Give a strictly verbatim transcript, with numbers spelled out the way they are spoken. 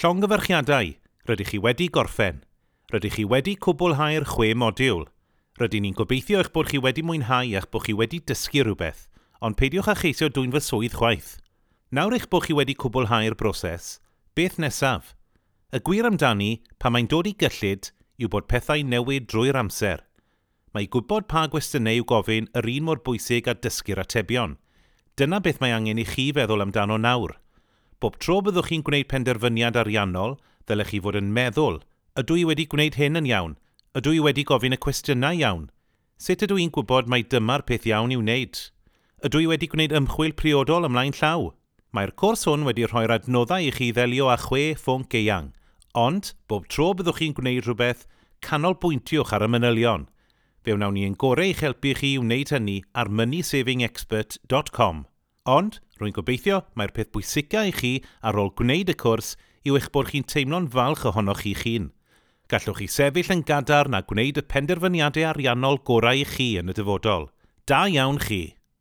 Llongyfarchiadau, rydych chi wedi gorffen. Rydych chi wedi cwblhau'r chwe modiwl. Rydyn ni'n gobeithio eich bod chi wedi mwynhau a'ch bod chi wedi dysgu rhywbeth, ond peidiwch â cheisio dwyn fy swydd chwaith. Nawr eich bod chi wedi cwblhau'r broses, beth nesaf? Y gwir amdani, pan mae'n dod i gyllid, yw bod pethau newid drwy'r amser. Mae gwybod pa gwestiynau i'w gofyn yr un mor bwysig â dysgu'r atebion. Dyna beth mae angen i chi feddwl amdano nawr. Bob tro byddwch chi'n gwneud penderfyniad ariannol, ddylech chi fod yn meddwl, ydw i wedi gwneud hyn yn iawn? Ydw i wedi gofyn y cwestiynau iawn? Sut ydw i'n gwybod mai dyma'r peth iawn i'w wneud? Ydw i wedi gwneud ymchwil priodol ymlaen llaw? Mae'r cwrs hwn wedi rhoi'r adnoddau i chi ddelio â chwe phwnc eang, ond bob tro byddwch chi'n gwneud rhywbeth, canolbwyntiwch ar y manylion. Fe wnawn ni ein gorau i'ch helpu chi i wneud hynny ar money saving expert dot com. Ond, rwy'n gobeithio mai'r peth bwysica i chi ar ôl gwneud y cwrs yw eich bod chi'n teimlo'n falch ohonoch chi'ch hun. Gallwch chi sefyll yn gadarn a gwneud y penderfyniadau ariannol gorau i chi yn y dyfodol. Da iawn chi!